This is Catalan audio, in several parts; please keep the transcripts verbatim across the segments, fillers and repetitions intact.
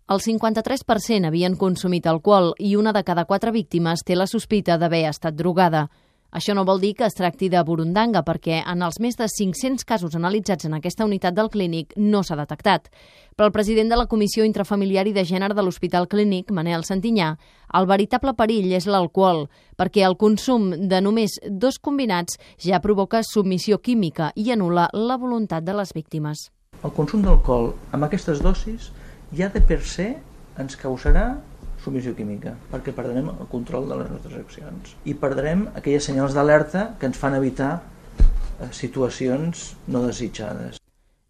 El cinquanta-tres per cent havien consumit alcohol i una de cada quatre víctimes té la sospita d'haver estat drogada. Això no vol dir que es tracti de burundanga, perquè en els més de cinc-cents casos analitzats en aquesta unitat del Clínic no s'ha detectat. Però el president de la Comissió Intrafamiliar i de Gènere de l'Hospital Clínic, Manel Santinyà, el veritable perill és l'alcohol, perquè el consum de només dos combinats ja provoca submissió química i anul·la la voluntat de les víctimes. El consum d'alcohol amb aquestes dosis ja de per se ens causarà submissió química, perquè perdrem el control de les nostres accions i perdrem aquelles senyals d'alerta que ens fan evitar situacions no desitjades.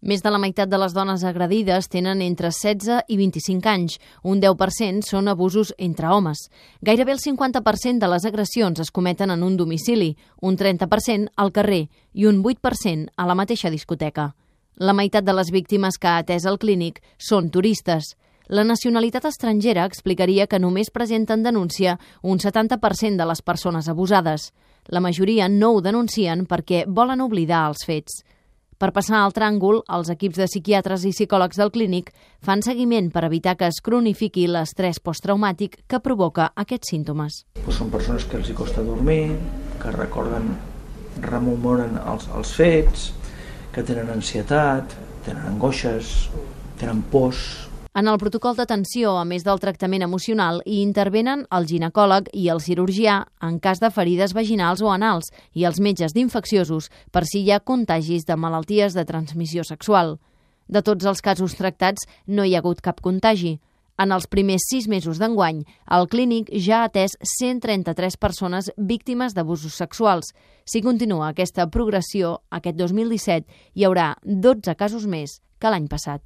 Més de la meitat de les dones agredides tenen entre setze i vint-i-cinc anys. Un deu per cent són abusos entre homes. Gairebé el cinquanta per cent de les agressions es cometen en un domicili, un trenta per cent al carrer i un vuit per cent a la mateixa discoteca. La meitat de les víctimes que ha atès el Clínic són turistes. La nacionalitat estrangera explicaria que només presenten denúncia un setanta per cent de les persones abusades. La majoria no ho denuncien perquè volen oblidar els fets. Per passar al tràngol, els equips de psiquiatres i psicòlegs del Clínic fan seguiment per evitar que es cronifiqui l'estrès posttraumàtic que provoca aquests símptomes. Pues són persones que els hi costa dormir, que recorden, rememoren els, els fets, que tenen ansietat, tenen angoixes, tenen pors. En el protocol d'atenció, a més del tractament emocional, hi intervenen el ginecòleg i el cirurgià en cas de ferides vaginals o anals i els metges d'infecciosos per si hi ha contagis de malalties de transmissió sexual. De tots els casos tractats, no hi ha hagut cap contagi. En els primers sis mesos d'enguany, el Clínic ja ha atès cent trenta-tres persones víctimes d'abusos sexuals. Si continua aquesta progressió, aquest dos mil disset hi haurà dotze casos més que l'any passat.